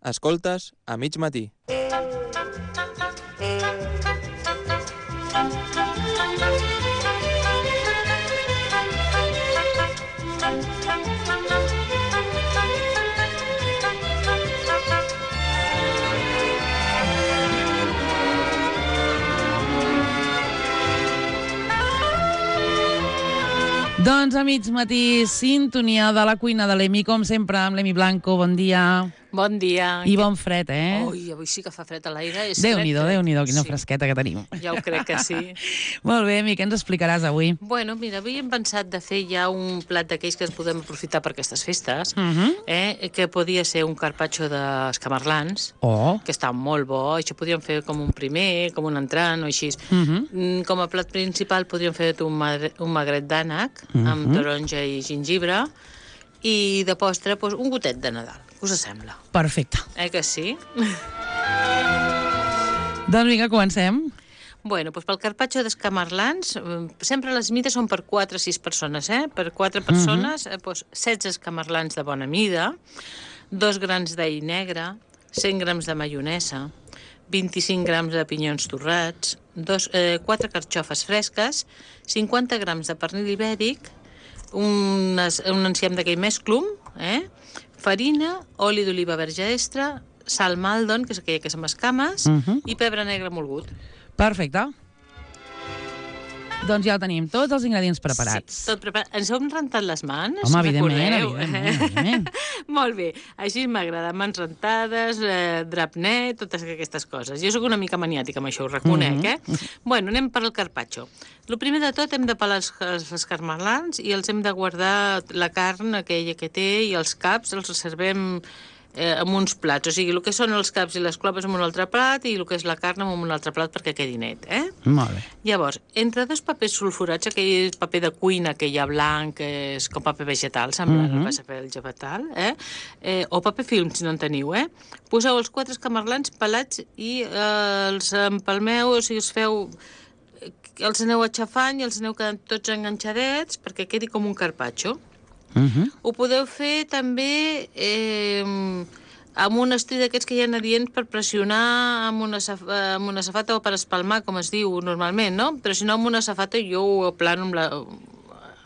Escoltes a mig matí. Doncs a mig matí, sintonia de la cuina de l'Emi, com sempre, amb l'Emi Blanco. Bon dia. Bon dia. I bon fred, eh? Ui, avui sí que fa fred a l'aire. Déu-n'hi-do, quina fresqueta que tenim. Ja ho crec que sí. Molt bé, Emi, què ens explicaràs avui? Bueno, mira, avui hem pensat de fer ja un plat d'aquells que ens podem aprofitar per aquestes festes, que podia ser un carpaccio d'escamarlans, que està molt bo. Això podríem fer com un primer, com un entrant o així. Com a plat principal podríem fer un magret d'ànec amb taronja i gingibre, i de postre un gotet de Nadal. Us sembla? Perfecte. Que sí? Doncs vinga, comencem. Bueno, doncs pel carpaccio d'escamarlans, sempre les mides són per 4 o 6 persones, Per 4 persones, 16 escamarlans de bona mida, 2 grans d'all negre, 100 grams de maionesa, 25 grams de pinyons torrats, 4 carxofes fresques, 50 grams de pernil ibèric, un enciam d'aquell mesclum, farina, oli d'oliva verge extra, sal maldon, que és aquella que és amb escames, i pebre negre molgut. Perfecte. Doncs ja ho tenim, tots els ingredients preparats. Sí, tot preparat. Ens hem rentat les mans? Home, evidentment. Molt bé, així m'agrada, mans rentades, drap net, totes aquestes coses. Jo sóc una mica maniàtica amb això, ho reconec, Bueno, anem per al carpaccio. El primer de tot hem de pelar els escamarlans i els hem de guardar la carn aquella que té i els caps els reservem en uns plats, o sigui, el que són els caps i les clopes en un altre plat i el que és la carn en un altre plat perquè quedi net, Molt bé. Llavors, entre 2 papers sulfurats, aquell paper de cuina que hi ha blanc, que és com paper vegetal, semblant al paper vegetal, o paper film, si no en teniu, poseu els 4 escamarlans pelats i els empalmeu, o sigui, els aneu aixafant i els aneu quedant tots enganxadets perquè quedi com un carpaccio. Ho podeu fer també amb un estri d'aquests que hi ha adients per pressionar amb una safata o per espalmar, com es diu normalment, no? Però si no amb una safata jo ho aplano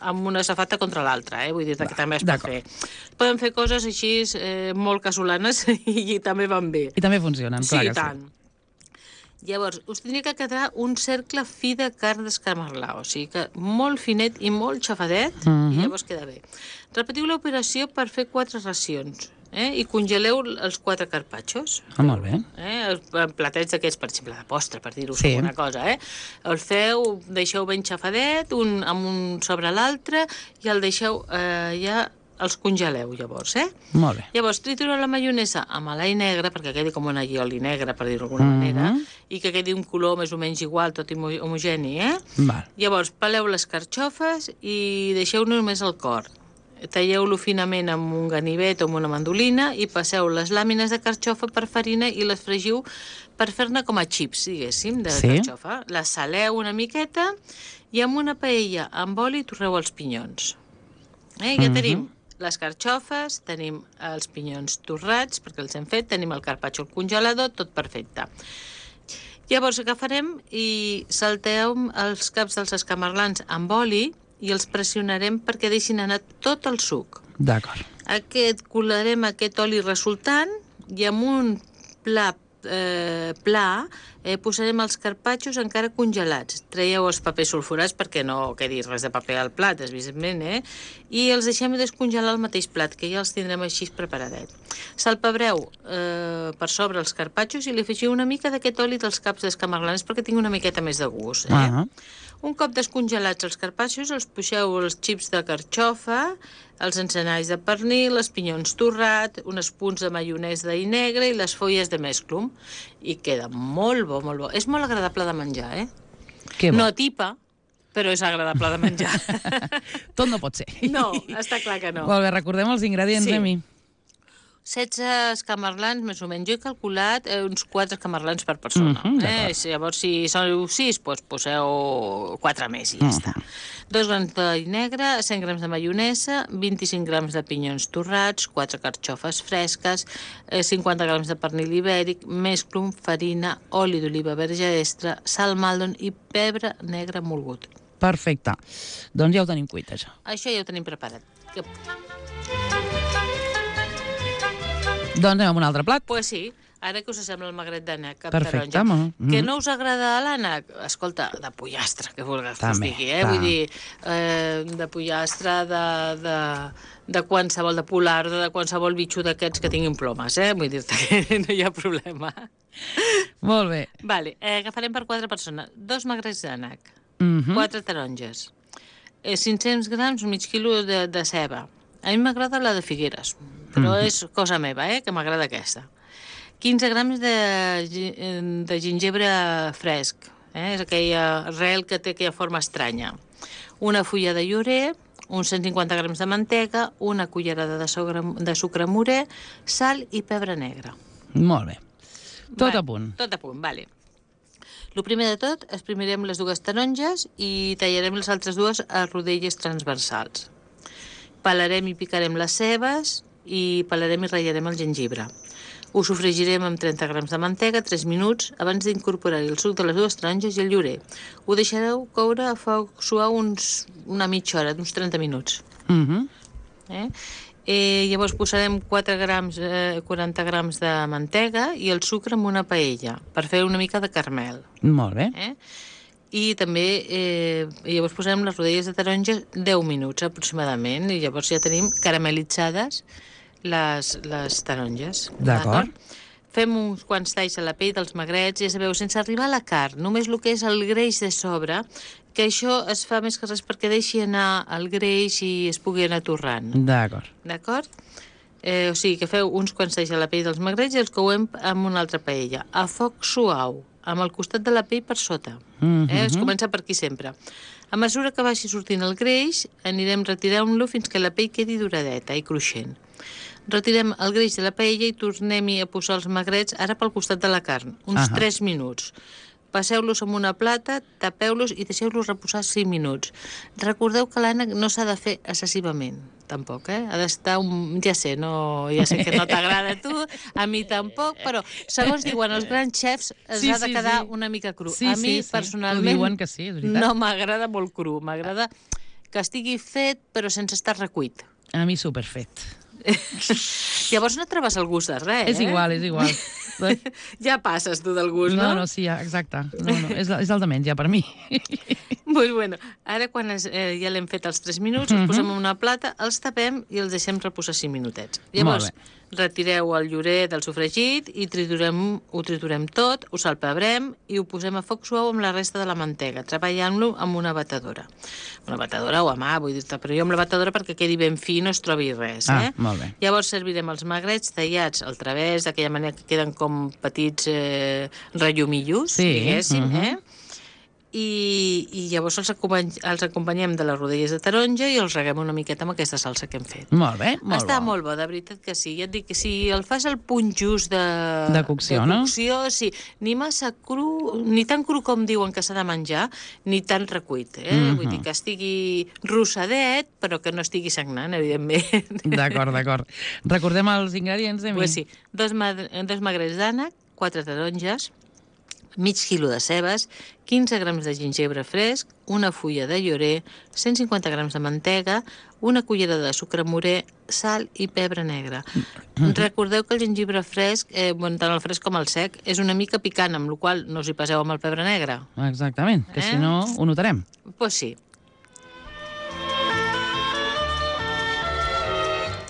amb una safata contra l'altra, vull dir que també es pot fer. Poden fer coses així molt casolanes i també van bé. I també funcionen, clar que sí. Sí, tant. Llavors, us tindria que quedar un cercle fi de carn d'escamarlar, o sigui que molt finet i molt xafadet, i llavors queda bé. Repetiu l'operació per fer 4 racions, i congeleu els 4 carpaccios. Molt bé. Platets d'aquests, per exemple, de postre, per dir-ho alguna cosa, El feu, deixeu ben xafadet, amb un sobre l'altre, i el deixeu ja... Els congeleu, llavors, Molt bé. Llavors, tritureu la maionesa amb l'all negre, perquè quedi com un allioli negre, per dir-ho d'alguna manera, i que quedi un color més o menys igual, tot homogeni, Val. Llavors, peleu les carxofes i deixeu només el cor. Talleu-lo finament amb un ganivet o amb una mandolina i passeu les làmines de carxofa per farina i les fregiu per fer-ne com a xips, diguéssim, de carxofa. Les saleu una miqueta i amb una paella amb oli torreu els pinyons. Ja tenim les carxofes, tenim els pinyons torrats, perquè els hem fet, tenim el carpaccio al congelador, tot perfecte. Llavors agafarem i salteu els caps dels escamarlans amb oli i els pressionarem perquè deixin anar tot el suc. D'acord. Colarem aquest oli resultant i amb un pla posarem els carpaccios encara congelats. Traieu els papers sulfurats perquè no quedi res de paper al plat, evidentment, i els deixem descongelar al mateix plat, que ja els tindrem així preparadet. Salpebreu per sobre els carpaccios i li afegiu una mica d'aquest oli dels caps d'escamarlans perquè tingui una miqueta més de gust. Un cop descongelats els carpaccios, els puixeu els xips de carxofa, els encenalls de pernil, els pinyons torrat, uns punts de maionès d'all negre i les fulles de mesclum. I queda molt bo, molt bo. És molt agradable de menjar, Que bo. No atipa, però és agradable de menjar. Tot no pot ser. No, està clar que no. Molt bé, recordem els ingredients, Emi. 16 escamarlans, més o menys. Jo he calculat uns 4 escamarlans per persona. Llavors, si sou 6, doncs poseu 4 més i ja està. 2 grams d'oli negre, 100 grams de maionesa, 25 grams de pinyons torrats, 4 carxofes fresques, 50 grams de pernil ibèric, mesclo, farina, oli d'oliva verge extra, sal maldon i pebre negre molgut. Perfecte. Doncs ja ho tenim cuit, això. Això ja ho tenim preparat. Doncs anem amb un altre plat. Pues sí, ara que us sembla el magret d'ànec amb Perfecte, taronja. Que no us agrada l'ànec? Escolta, de pollastre, que vulguis que us digui, Vull dir, de pollastre, de qualsevol, de polar, de qualsevol bitxo d'aquests que tinguin plomes, Vull dir-te que no hi ha problema. Molt bé. Vale, agafarem per 4 persones. 2 magrets d'ànec, 4 taronges, 500 grams, mig quilo de ceba. A mi m'agrada la de Figueres, però és cosa meva, que m'agrada aquesta. 15 grams de gingebre fresc, és aquella arrel que té aquella forma estranya. Una fulla de llorer, uns 150 grams de mantega, una cullerada de sucre morè, sal i pebre negre. Molt bé. Tot a punt. Tot a punt, vale. El primer de tot, exprimirem les 2 taronges i tallarem les altres 2 a rodelles transversals. Pelarem i picarem les cebes i pelarem i ratllarem el gengibre. Ho sofregirem amb 30 grams de mantega 3 minuts abans d'incorporar-hi el suc de les 2 taronges i el llorer. Ho deixareu coure a foc suau una mitja hora, d'uns 30 minuts. Llavors posarem 40 grams de mantega i el sucre en una paella per fer una mica de caramel. Molt bé. I també llavors posarem les rodelles de taronja 10 minuts aproximadament i llavors ja tenim caramelitzades les taronges. D'acord. Fem uns quants talls a la pell dels magrets, ja sabeu, sense arribar a la carn, només el que és el greix de sobre, que això es fa més que res perquè deixi anar el greix i es pugui anar torrant. D'acord. D'acord? O sigui, que feu uns quants talls a la pell dels magrets i els couem amb una altra paella, a foc suau, amb el costat de la pell per sota. Es comença per aquí sempre. A mesura que vagi sortint el greix, anirem retirant-lo fins que la pell quedi duradeta i cruixent. Retirem el greix de la paella i tornem-hi a posar els magrets ara pel costat de la carn, uns 3 minuts. Passeu-los en una plata, tapeu-los i deixeu-los reposar 5 minuts. Recordeu que l'ànec no s'ha de fer excessivament, tampoc, Ha d'estar ja sé que no t'agrada a tu, a mi tampoc, però segons diuen els grans xefs ha de quedar una mica cru. A mi, personalment, diuen que sí, és veritat. no m'agrada molt cru. M'agrada que estigui fet, però sense estar recuit. A mi superfet. Llavors no trobes el gust de res, És igual. Ja passes tu del gust, no? No, sí, exacte. No, és el de menys, ja, per mi. Bueno, ara quan ja l'hem fet els 3 minuts, els posem en una plata, els tapem i els deixem reposar 5 minutets. Llavors, retireu el llorer del sofregit i ho triturem tot, ho salpebrem i ho posem a foc suau amb la resta de la mantega, treballant-lo amb una batedora. Una batedora o a mà, vull dir-te, però jo amb la batedora perquè quedi ben fi i no es trobi res. Molt bé. Llavors servirem els magrets tallats al través, d'aquella manera que queden com petits rellomillos, diguéssim, i llavors els acompanyem de les rodelles de taronja i els reguem una miqueta amb aquesta salsa que hem fet. Molt bé, molt Està molt bo, de veritat que sí. Ja et dic que si el fas al punt just de cocció, no? Sí, ni massa cru, ni tan cru com diuen que s'ha de menjar, ni tan recuit. Vull dir que estigui rossadet, però que no estigui sagnant, evidentment. D'acord. Recordem els ingredients, Emi? Pues sí, 2 magrets d'ànec, 4 taronges, mig quilo de cebes, 15 grams de gingebre fresc, una fulla de llorer, 150 grams de mantega, una cullera de sucre morè, sal i pebre negre. Recordeu que el gingebre fresc, tant el fresc com el sec, és una mica picant, amb la qual cosa no us hi passeu amb el pebre negre. Exactament, que si no ho notarem. Pues sí.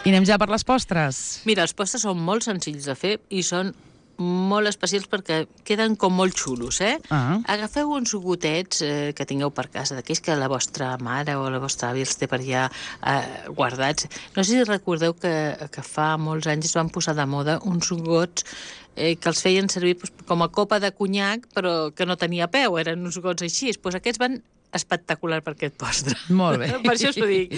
I anem ja per les postres. Mira, els postres són molt senzills de fer i són molt especials perquè queden com molt xulos, Agafeu uns gotets que tingueu per casa, d'aquells que la vostra mare o la vostra àvia els té per allà guardats. No sé si recordeu que fa molts anys es van posar de moda uns gots que els feien servir com a copa de conyac, però que no tenia peu, eren uns gots així. Aquests van espectacular per aquest postre. Molt bé. Per això us ho dic.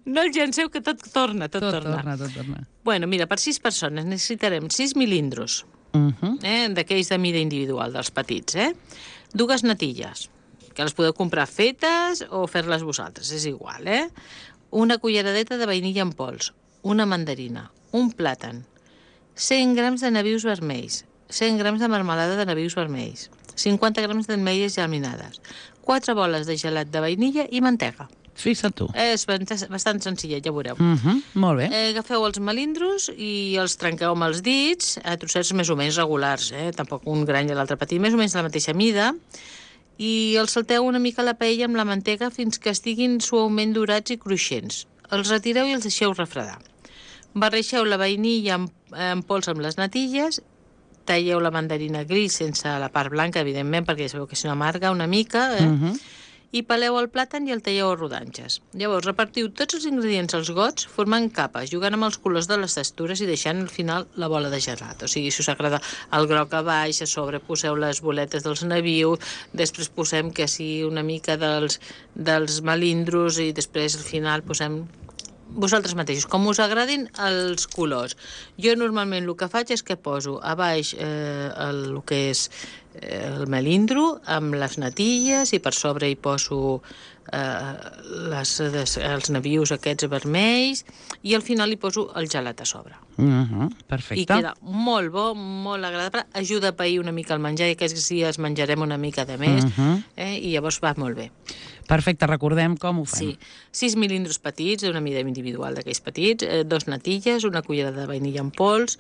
No el llanceu, que tot torna, tot torna. Tot torna. Bueno, mira, per 6 persones necessitarem 6 milindros, d'aquells de mida individual, dels petits, 2 natilles, que les podeu comprar fetes o fer-les vosaltres, és igual, una culleradeta de vainilla en pols, una mandarina, un plàtan, 100 grams de nabius vermells, 100 grams de marmelada de nabius vermells, 50 grams d'ametlles germinades, 4 boles de gelat de vainilla i mantega. Fixa't tu. És bastant senzillet, ja veureu. Molt bé. Agafeu els melindros i els trenqueu amb els dits a trossets més o menys regulars, tampoc un gran i l'altre petit, més o menys de la mateixa mida, i els salteu una mica a la paella amb la mantega fins que estiguin suaument dorats i cruixents. Els retireu i els deixeu refredar. Barreixeu la vainilla en pols amb les natilles, talleu la mandarina gris sense la part blanca, evidentment, perquè ja sabeu que si no amarga una mica, i peleu el plàtan i el talleu a rodanxes. Llavors, repartiu tots els ingredients als gots formant capes, jugant amb els colors de les textures i deixant al final la bola de gelat. O sigui, si us agrada el groc a baix, a sobre poseu les boletes dels nabius, després posem que sí una mica dels melindros i després al final posem vosaltres mateixos, com us agradin els colors. Jo normalment el que faig és que poso a baix el que és el melindro amb les natilles i per sobre hi poso els nabius aquests vermells i al final hi poso el gelat a sobre. Perfecte. I queda molt bo, molt agradable, ajuda a pair una mica el menjar i aquests dies menjarem una mica de més i llavors va molt bé. Perfecte, recordem com ho fem. Sí, 6 milindros petits, d'una mida individual d'aquells petits, 2 natilles, una cullera de vainilla en pols,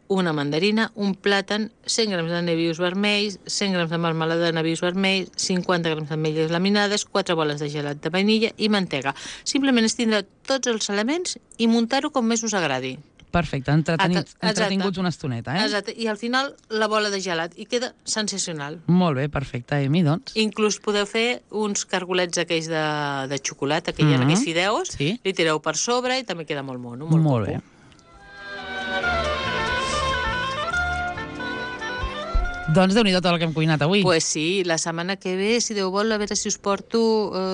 una mandarina, un plàtan, 100 grams de nabius vermells, 100 grams de marmelada de nabius vermells, 50 grams d'ametlles laminades, 4 boles de gelat de vainilla i mantega. Simplement és tindre tots els elements i muntar-ho com més us agradi. Perfecte, entretinguts una estoneta, Exacte, i al final la bola de gelat, i queda sensacional. Molt bé, perfecte, Emi, doncs. Inclús podeu fer uns cargolets aquells de xocolata, que hi ha aquells fideus, li tireu per sobre i també queda molt mono. Molt bé. Doncs déu-n'hi-do tot el que hem cuinat avui. Pues sí, la setmana que ve, si Déu vol, a veure si us porto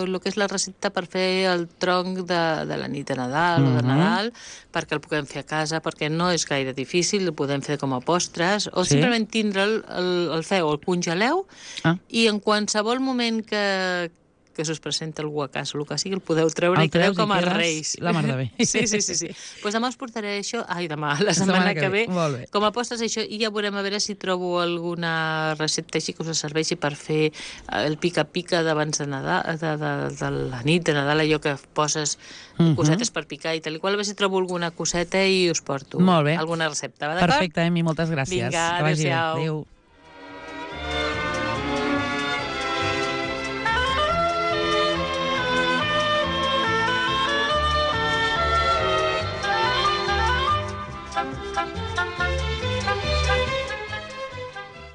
el que és la recepta per fer el tronc de la nit de Nadal o de Nadal, perquè el puguem fer a casa, perquè no és gaire difícil, el podem fer com a postres, o simplement tindre'l, el feu, el congeleu, i en qualsevol moment que se us presenta algú a casa, el que sigui, el podeu treure i quedeu com a reis. La mar de bé. Sí. Pues demà us portaré això, la setmana que ve, com a postres això, i ja veurem a veure si trobo alguna recepta així que us serveixi per fer el pica-pica d'abans de Nadal, de la nit de Nadal, allò que poses cosetes per picar i tal i qual, a veure si trobo alguna coseta i us porto alguna recepta. Perfecte, Emi, moltes gràcies. Vinga, adéu-siau.